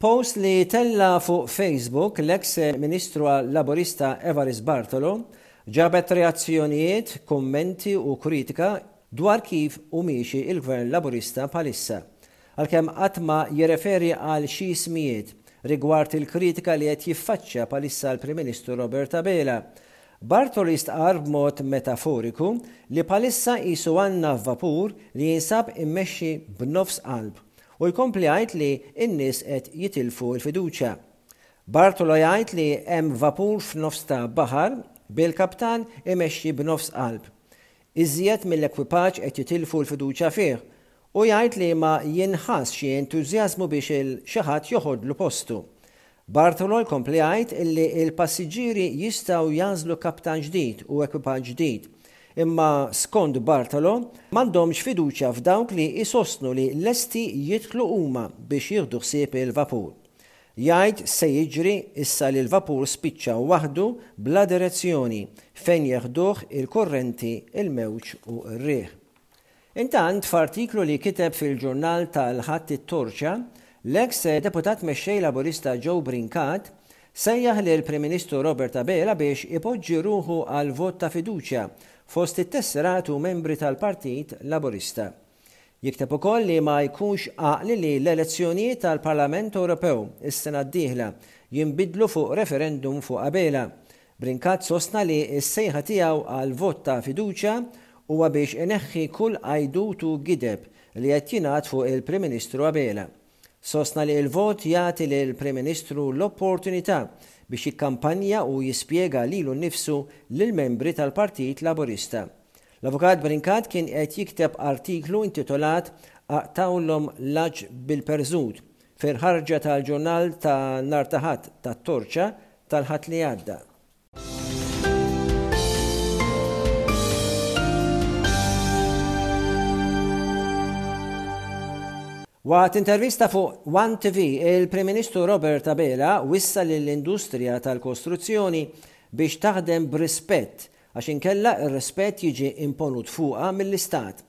Post li tella' fuq Facebook l-eks Ministru Laburista Evarist Bartolo ġabet reazzjonijiet, kummenti u kritika dwar kif hu miexi l-Gvern Laburista bħalissa. Għalkemm qatt ma jirreferi għal xi ismijiet rigward il-kritika li qed jiffaċċja bħalissa l-Prim Ministru Robert Abela, Bartolo jistqarr b'mod metaforiku li bħalissa qisu għandna vapur li jinsab immexxi b'nofs qalb u jkompli jgħid li n-nies qed jitilfu l-fiduċja. Bartolo jgħid li hemm vapur f'nofs ta' baħar bil-kaptan imexxi b'nofs qalb. Iżjed mill-ekwipaġġ qed jitilfu l-fiduċja fih u jgħid li ma jinħass xi entużjażmu biex il xi ħadd joħodlu postu. Bartolo jkompli jgħid illi l-passiġġieri jistgħu jagħżlu kaptan ġdid u ekwipaġġ ġdid. Imma skont Bartolo, m'għandhomx fiduċja f'dawk li jsostnu li lesti jidħlu huma biex jieħdu ħsieb il-vapur. Jgħid x'se jiġri issa li l-vapur spiċċa waħdu bla direzzjoni fejn jeħduh il-kurrenti, il-mewġ u r-riħ. Intant, f'artiklu li kiteb fil-ġurnal tal-Ħadd It-Torċa, l-eks Deputat Mexxej Laburista Joe Brincat sejjaħ lill-Prim Ministru Robert Abela biex ipoġġi ruħu għal vot ta' fiduċja fost it-tesserat u membri tal-Partit Laburista. Jikteb ukoll li ma jkunx għaqli li l-elezzjonijiet tal-Parlament Ewropew is-sena d-dieħla jinbidlu fuq referendum fuq Abela Brincat sostna li s-sejħa tiegħu għal vot ta' fiduċja huwa biex ineħħi kull għajdut u gideb li qed jingħad fuq il-Prim Ministru Abela. Sostna li l-vot jagħti lill-Prim Ministru l-opportunità biex jikkampanja u jispjega lilu nnifsu lill-membri tal-Partit Laburista. L-Avukat Brincat kien qed jikteb artiklu intitolat Aqtgħulhom l-għaġġ bil-perżut fil-ħarġa tal-ġurnal ta' nhar ta' Ħadd tat-Torċa tal-Ħadd li għadda. Waqt intervista fuq One TV, il-Prim Ministru Robert Abela wissa lill-industrija tal-kostruzzjoni biex taħdem b'rispett għax inkella r-rispett jiġi imponut fuqha mill-Istat.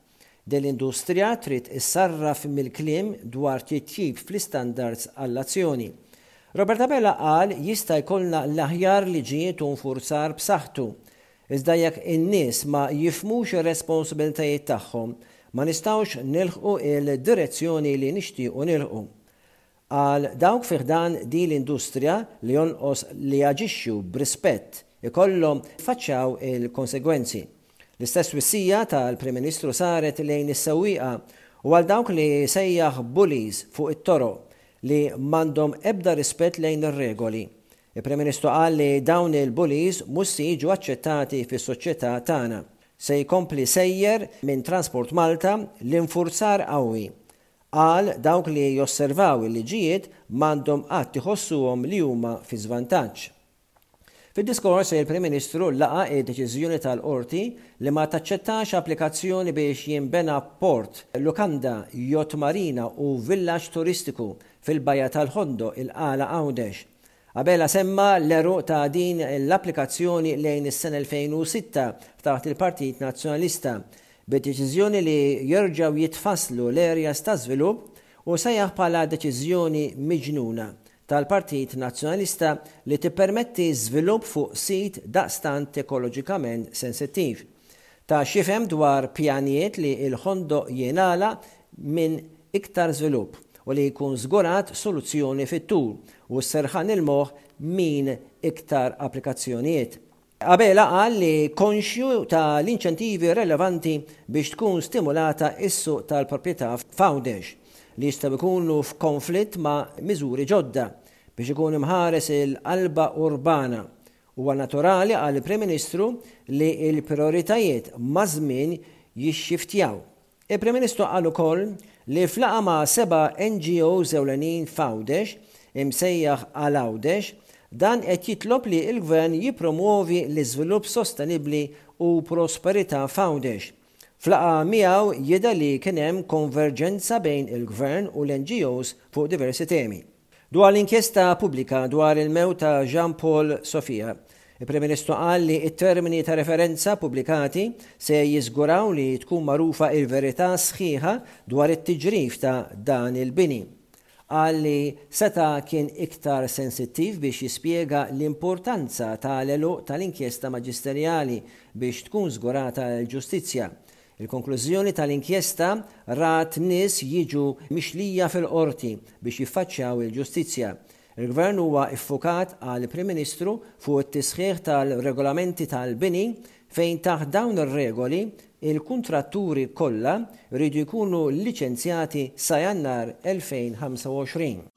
Din l-industrija trid issarraf mill-kliem dwar titjib fl-istandards għall-azzjoni. Robert Abela qal jista' jkollna l-aħjar liġijiet u nfurzar b'saħħtu. Iżda jekk in-nies ma jifhmux ir-responsabilitajiet tagħhom, ma nistgħux nilħqu l-direzzjoni li nixtiequ nilħqu. Qal dawk fi ħdan din l-industrija li jonqos li jaġixxu b'rispett ikollhom jiffaċċjaw il-konsegwenzi. L-istess twissija tal-Prim Ministru saret lejn is-sewwieqa u għal dawk li sejjaħ bullies fuq it-toroq li m'għandhom ebda rispett lejn ir-regoli. Il-Prim Ministru qal li dawn il-bullies mhux se jiġu aċċettati fis-soċjetà tagħna. Se jkompli sejjer minn Transport Malta l-infurzar qawwi. Qal dawk li josservaw il-liġijiet m'għandhom qatt iħossuhom li huma fi żvantaġġ. Fid-diskors, il-Prim Ministru laqa' d-deċiżjoni tal-Qorti li ma taċċettax applikazzjoni biex jinbena port, lukanda, yacht marina u villaġġ turistiku fil-Bajja tal-Ħondoq, il-Qala Għawdex. Abela semma l-għeruq ta' din l-applikazzjoni lejn is-sena 2006 taħt il-Partit Nazzjonalista, bid-deċiżjoni li jerġgħu jitfasslu l-areas ta' żvilupp u sejjaħ bħala deċiżjoni miġnuna tal-Partit Nazzjonalista li tippermetti żvilupp fuq sit daqstant ekoloġikament sensittiv. Ta x'jifhem dwar pjanijiet li l-Ħondoq jingħalaq minn iktar żvilupp u li jkun żgurat soluzzjoni fit-tul u s-serħan il-moħħ min iktar applikazzjonijiet. Abela qal li konxju ta' l-inċentivi relevanti biex tkun stimulata s-suq tal-proprjetà f'Għawdex, li jistgħu jkunu f'konflitt ma' miżuri ġodda biex ikun imħares il-qalba urbana. Huwa naturali, qal il-Prim Ministru, li l-prijoritajiet maż-żmien jixxiftjaw. Il-Prim Ministru qal ukoll li f'laqgħa ma' seba' NGOs ewlenin f'Għawdex, imsejjaħ Għal Għawdex, dan qed jitlob li l-Gvern jippromwovi l-iżvilupp sostenibbli u prosperità f'Għawdex. F'laqgħa miegħu jidher li kien hemm konverġenza bejn il-Gvern u l-NGOs fuq diversi temi. Dwar l-inkjesta pubblika dwar il-mewt ta' Jean Paul Sofia, il-Prim Ministru qal li t-termini ta' referenza pubblikati se jiżguraw li tkun magħrufa il-verità sħiħa dwar it-tiġrif ta' dan il-bini. Qal li seta' kien iktar sensittiv biex jispjega l-importanza tal-għeluq tal-inkjesta maġisterjali biex tkun żgurata l-ġustizzja. Il-konklużjoni tal-inkjesta rat nies jiġu mixlija fil-Qorti biex jiffaċċjaw il-ġustizzja. Il-Gvern huwa ffukat, qal il-Prim Ministru, fuq it-tisħiħ tal-regolamenti tal-bini fejn taħt dawn ir-regoli il-kuntratturi kollha jridu jkunu liċenzjati sa Jannar 2025.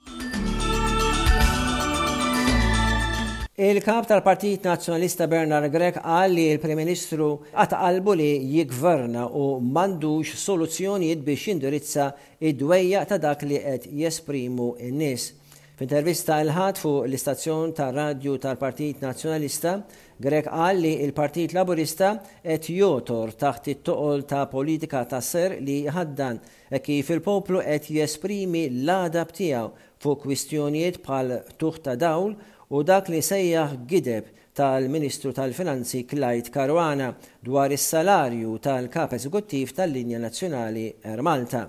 Il-Kap tal-Partit Nazzjonalista Bernard Grech qal li l-Prim Ministru qata' qalbu li jiggverna u m'għandux soluzzjonijiet biex jindirizza d-dwejjaq ta' dak li qed jesprimu n-nies. F'intervista il-Ħadd fuq l-istazzjon tar-radju tal-Partit Nazzjonalista, Grech qal li l-Partit Laburista qed jogħtor taħt it-toqol ta' politika ta' serq li jħaddan hekk kif il-poplu qed jesprimi l-għadab tiegħu fuq kwistjonijiet bħal qtugħ ta' dawl u dak li sejjaħ gideb tal-Ministru tal-Finanzi Clyde Caruana dwar is-salarju tal-Kap Eżekuttiv tal-linja nazzjonali Air Malta.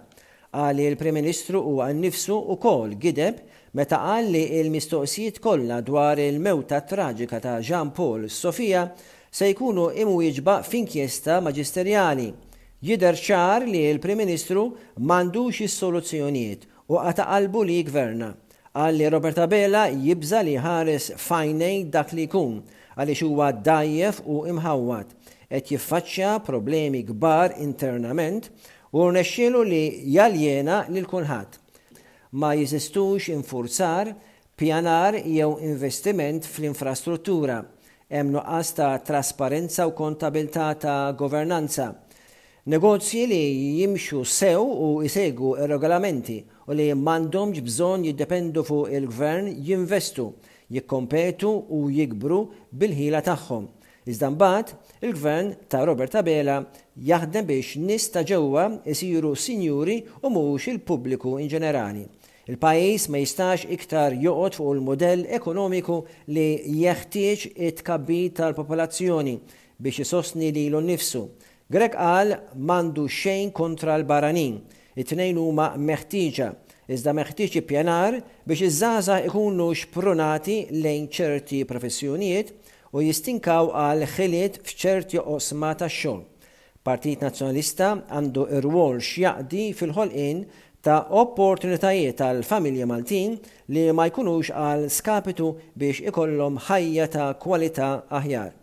Qal li l-Prim Ministru huwa nnifsu wkoll gideb meta qal li l-mistoqsijiet kollha dwar il-mewta traġika ta' Jean Paul Sofia se jkunu imwieġba f'inkjesta maġisterjali. Jidher ċar li l-Prim Ministru m'għandux is-soluzzjonijiet u qata' qalbu li jiggverna. Qal li Robert Abela jibża' li jħares f'għajnejn dak li jkun, għaliex huwa dgħajjef u imħawwad. Qed jiffaċċja problemi kbar internament u rnexxielu li jaljena lil kulħadd. Ma jeżistux infurzar, pjanar jew investiment fl-infrastruttura. Hemm nuqqas ta' trasparenza u kontabilità ta' governanza. Negozji li jimxu sew u jsegwu r-regolamenti u li m'għandhomx bżonn jiddependu fuq il-Gvern jinvestu, jikkompetu u jikbru bil-ħila tagħhom. Iżda mbagħad, il-Gvern ta' Robert Abela jaħdem biex nies ta' ġewwa jsiru sinjuri u mhux il-pubbliku inġenerali. Il-pajjiż ma jistax iktar joqgħod fuq il-mudell ekonomiku li jeħtieġ it-tkabbir tal-popolazzjoni biex isostni lilu nnifsu. Grech qal m'għandu xejn kontra l-barranin. It-tnejn huma meħtieġa. Iżda meħtieġ ippjanar biex iż-żgħażagħ ikunu xprunati lejn ċerti professjonijiet u jistinkaw għal ħiliet f'ċerti oqsma tax-xogħol. Partit Nazzjonalista għandu rwol x'jaqdi fil-ħolqien ta' opportunitajiet għall-familji Maltin li ma jkunux għal skapitu biex ikollhom ħajja ta' kwalità aħjar.